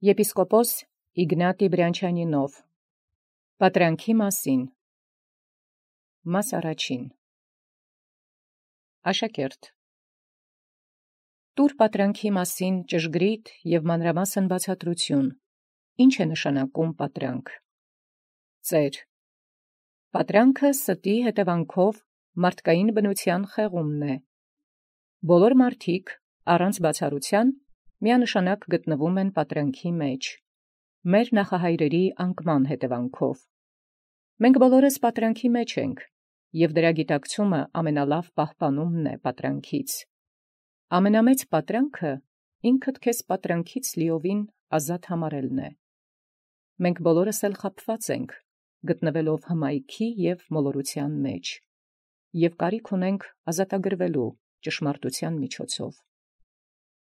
Եպիսկոպոս Իգնատի Բրանչանինով Պատրանքի մասին Մաս առաջին Աշակերտ Տուր պատրանքի մասին ճշգրիտ և մանրամասն բացատրություն. Ինչ է նշանակում պատրանք։ Ծեր. Պատրանքը ստի հետևանքով մարդկային բնության խեղումն է։ Բոլոր մարդիկ առանց բացառության միանշանակ գտնվում են պատրանքի մեջ, մեր նախահայրերի անկման հետևանքով։ Մենք բոլորս պատրանքի մեջ ենք, և դրա գիտակցումը ամենալավ պահպանումն է պատրանքից։ Ամենամեծ պատրանքը ինքդ քեզ պատրանքից լիովին ազատ համարելն է։ Մենք բոլորս էլ խաբված ենք, գտնվելով հմայքի և մոլորության մեջ, և կարիք ունենք ազատագրվելու ճշմարտության միջոցով։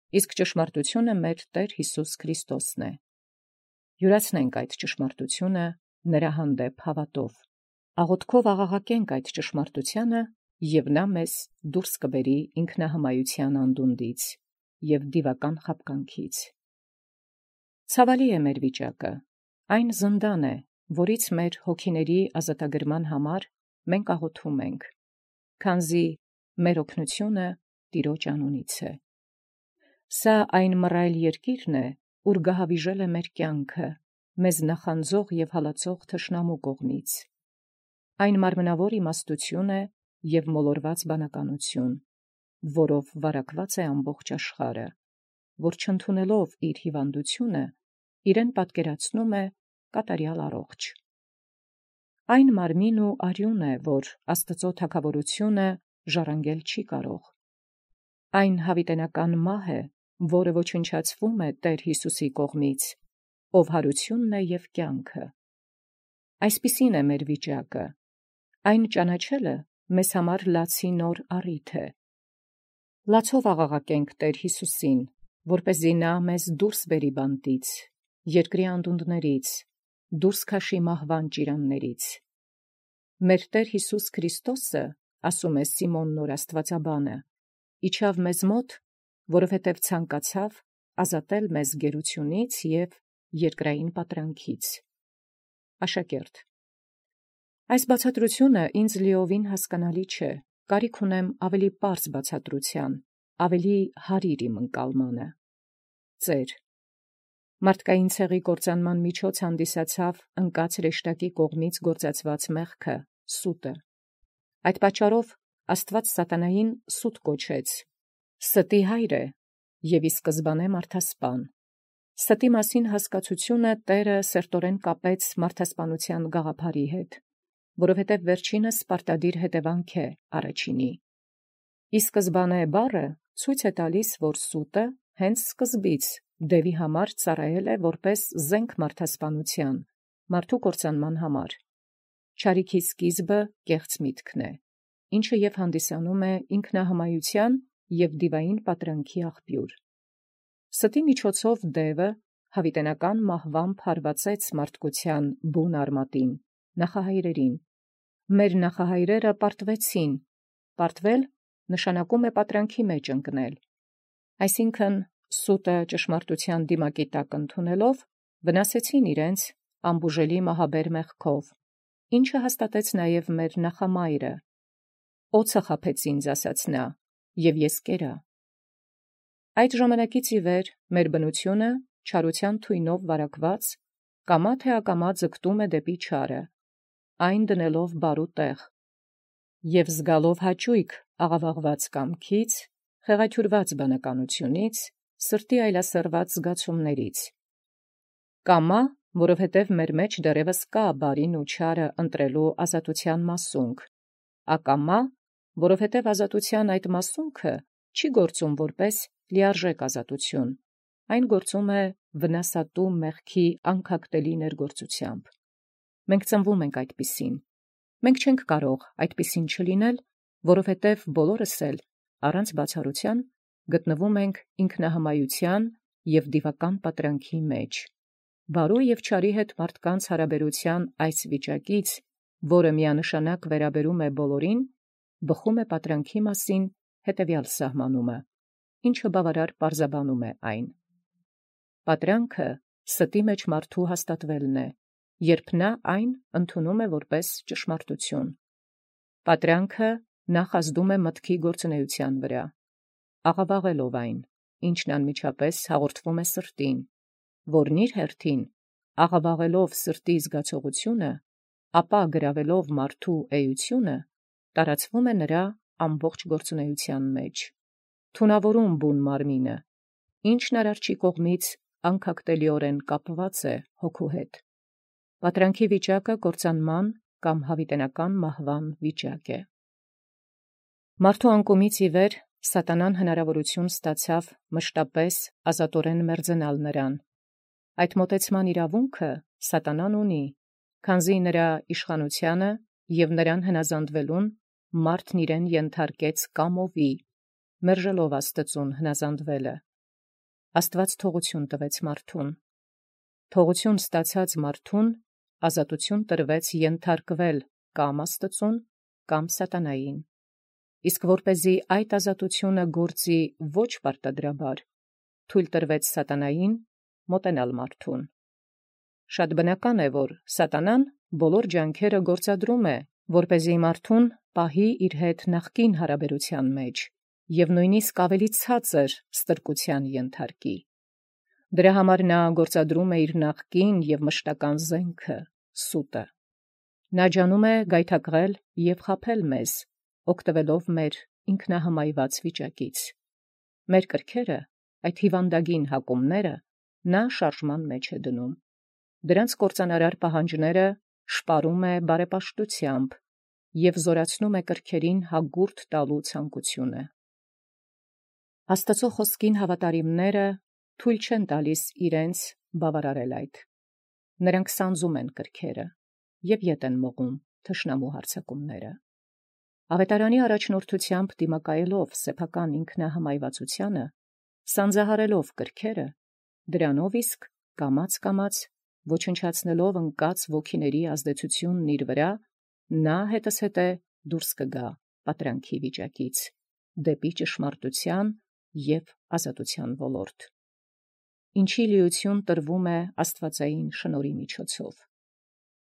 Իսկ ճշմարտությունը մեր Տեր Հիսուս Քրիստոսն է։ Յուրացնենք այդ ճշմարտությունը նրա հանդեպ հավատով, աղոթքով աղաղակենք այդ ճշմարտությանը, և նա մեզ դուրս կբերի ինքնահմայության անդունդից և դիվական խաբկանքից։ Ցավալի է մեր վիճակը, այն զնդան է, որից մեր հոգիների ազատագրման համար մենք աղոթում ենք, քանզի մեր օգնությունը Տիրոջ անունից է։ Սա այն մռայլ երկիրն է, ուր գահավիժել է մեր կյանքը, մեզ նախանձող և հալածող թշնամու կողմից։ Այն մարմնավոր իմաստություն է և մոլորված բանականություն, որով վարակված է ամբողջ աշխարհը, որ չընդունելով իր հիվանդությունը, իրեն պատկերացնում է կատարյալ առողջ։ Այն մարմին ու արյուն է, որ Աստծո թագավորությունը ժառանգել չի կարող։ Այն հավիտենական մահ է, որը ոչնչացվում է Տեր Հիսուսի կողմից, ով հարությունն է և կյանքը։ Այսպիսին է մեր վիճակը, այն ճանաչելը մեզ համար լացի նոր առիթ է։ Լացով աղաղակենք Տեր Հիսուսին, որպեսզի նա մեզ դուրս բերի բանտից, երկրի անդունդներից, դուրս քաշի մահվան ճիրաններից։ Մեր Տեր Հիսուս Քրիստոսը, ասում է Սիմոն նոր աստվածաբանը, իջավ մեզ մոտ, որովհետև ցանկացավ ազատել մեզ գերությունից և երկրային պատրանքից։ Աշակերտ. Այս բացատրությունը ինձ լիովին հասկանալի չէ, կարիք ունեմ ավելի պարզ բացատրության, ավելի հարիր իմ ընկալմանը։ Ծեր. Մարդկային ցեղի կործանման միջոց հանդիսացավ ընկած հրեշտակի կողմից գործածված մեղքը, սուտը։ Այդ պատճառով Աստված սատանային սուտ կոչեց, ստի հայր է և ի սկզբանե մարդասպան։ Ստի մասին հասկացությունը Տերը սերտորեն կապեց մարդասպանության գաղափարի հետ, որովհետև վերջինս պարտադիր հետևանք է առաջինի։ Ի սկզբանե բառը ցույց է տալիս, որ սուտը հենց սկզբից դևի համար ծառայել է որպես զենք մարդասպանության, մարդու կործանման համար։ Չարիքի սկիզբը կեղծ միտքն է, ինչը և հանդիսանում է ինքնահմայության և դիվային պատրանքի աղբյուր։ Ստի միջոցով դևը հավիտենական մահվամբ հարվածեց մարդկության բուն արմատին, նախահայրերին։ Մեր նախահայրերը պարտվեցին, պարտվել նշանակում է պատրանքի մեջ ընկնել, այսինքն սուտը ճշմարտության դիմակի տակ ընդունելով, վնասեցին իրենց անբուժելի մահաբեր մեղքով, ինչը հաստատեց նաև մեր նախամայրը. «Օձը խաբեց ինձ, ասաց նա, և ես կերա»։ Այդ ժամանակից ի վեր մեր բնությունը, չարության թույնով վարակված, կամա թե ակամա ձգտում է դեպի չարը, այն դնելով բարու տեղ, և զգալով հաճույք աղավաղված կամքից, խեղաթյուրված բանականությունից, սրտի այլասերված զգացումներից։ Կամա, որովհետև մեր մեջ դեռևս կա բարին ու չարը ընտրելու ազատության մասունք, ակամա, որովհետև ազատության այդ մասունքը չի գործում որպես լիարժեք ազատություն, այն գործում է վնասատու մեղքի անքակտելի ներգործությամբ։ Մենք ծնվում ենք այդպիսին։ Մենք չենք կարող այդպիսին չլինել, որովհետև բոլորս էլ, առանց բացառության, գտնվում ենք ինքնահմայության և դիվական պատրանքի մեջ։ Բարու և չարի հետ մարդկանց հարաբերության այս վիճակից, որը միանշանակ վերաբերում է բոլորին, բխում է պատրանքի մասին հետևյալ սահմանումը, ինչը բավարար պարզաբանում է այն. պատրանքը ստի մեջ մարդու հաստատվելն է, երբ նա այն ընդունում է որպես ճշմարտություն։ Պատրանքը նախ ազդում է մտքի գործունեության վրա, աղավաղելով այն, ինչն անմիջապես հաղորդվում է սրտին, որն իր հերթին, աղավաղելով սրտի զգացողությունը, ապա գրավելով մարդու էությունը, տարածվում է նրա ամբողջ գործունեության մեջ, թունավորում բուն մարմինը, ինչն արարչի կողմից անքակտելիորեն կապված է հոգու հետ։ Պատրանքի վիճակը կործանման կամ հավիտենական մահվան վիճակ է։ Մարդու անկումից ի վեր սատանան հնարավորություն ստացավ մշտապես ազատորեն մերձենալ նրան։ Այդ մոտեցման իրավունքը սատանան ունի, քանզի նրա իշխանությանը և նրան հնազանդվելուն մարդն իրեն ենթարկեց կամովի, մերժելով Աստծուն հնազանդվելը։ Աստված թողություն տվեց մարդուն։ Թողություն ստացած մարդուն ազատություն տրվեց ենթարկվել կամ Աստծուն, կամ սատանային։ Իսկ որպեսզի այդ ազատությունը գործի ոչ պարտադրաբար, թույլ տրվեց սատանային մոտենալ մարդուն։ Շատ բնական է, որ սատանան բոլոր ջանքերը գործադրում է, որպեսզի մարդուն պահի իր հետ նախկին հարաբերության մեջ և նույնիսկ ավելի ցածր ստրկության ենթարկի։ Դրա համար նա գործադրում է իր նախկին և մշտական զենքը՝ սուտը։ Նա ջանում է գայթակղել և խաբել մեզ, օգտվելով մեր ինքնահմայված վիճակից։ Մեր կրքերը, այդ հիվանդագին հակումները, նա շարժման մեջ է դնում։ Դրանց կործանարար պահանջները շպարում է բարեպաշտությամբ և զորացնում է կրքերին հագուրդ տալու ցանկությունը։ Աստծո խոսքին հավատարիմները թույլ չեն տալիս իրենց բավարարել այդ։ Նրանք սանձում են կրքերը և ետ են մղում թշնամու հարձակումները։ Ավետարանի առաջնորդությամբ դիմակայելով սեփական ինքնահմայվածությանը, սանձահարելով կրքերը, դրանով իսկ կամաց ոչնչացնելով ընկած ոգիների ազդեցությունն իր վրա, նա հետզհետե դուրս կգա պատրանքի վիճակից, դեպի ճշմարտության և ազատության ոլորտ, ինչի լիություն տրվում է աստվածային շնորհի միջոցով։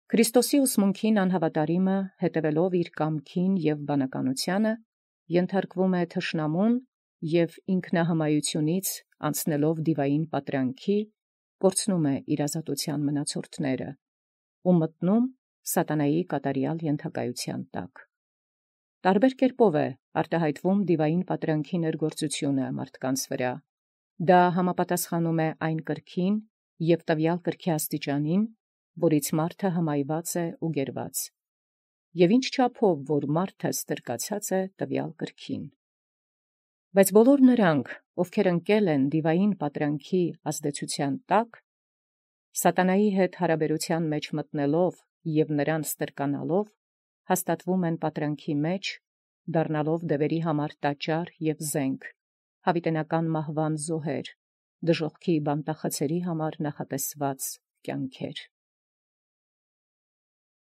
Քրիստոսի ուսմունքին անհավատարիմը, հետևելով իր կամքին և բանականությանը, ենթարկվում է թշնամուն և ինքնահմայությունից անցնելով դիվային պատրանքի, կորցնում է իր ազատության մնացորդները ու մտնում սատանայի կատարյալ ենթակայության տակ։ Տարբեր կերպով է արտահայտվում դիվային պատրանքի ներգործությունը մարդկանց վրա։ Դա համապատասխանում է այն կրքին և տվյալ կրքի աստիճանին, որից մարդը հմայված է ու գերված, և ինչ չափով որ մարդը ստրկացած է տվյալ կրքին։ Բայց բոլոր նրանք, ովքեր ընկել են դիվային պատրանքի ազդեցության տակ, սատանայի հետ հարաբերության մեջ մտնելով և նրան ստրկանալով, հաստատվում են պատրանքի մեջ, դառնալով դևերի համար տաճար և զենք, հավիտենական մահվան զոհեր, դժոխքի բանտախցերի համար նախատեսված կյանքեր։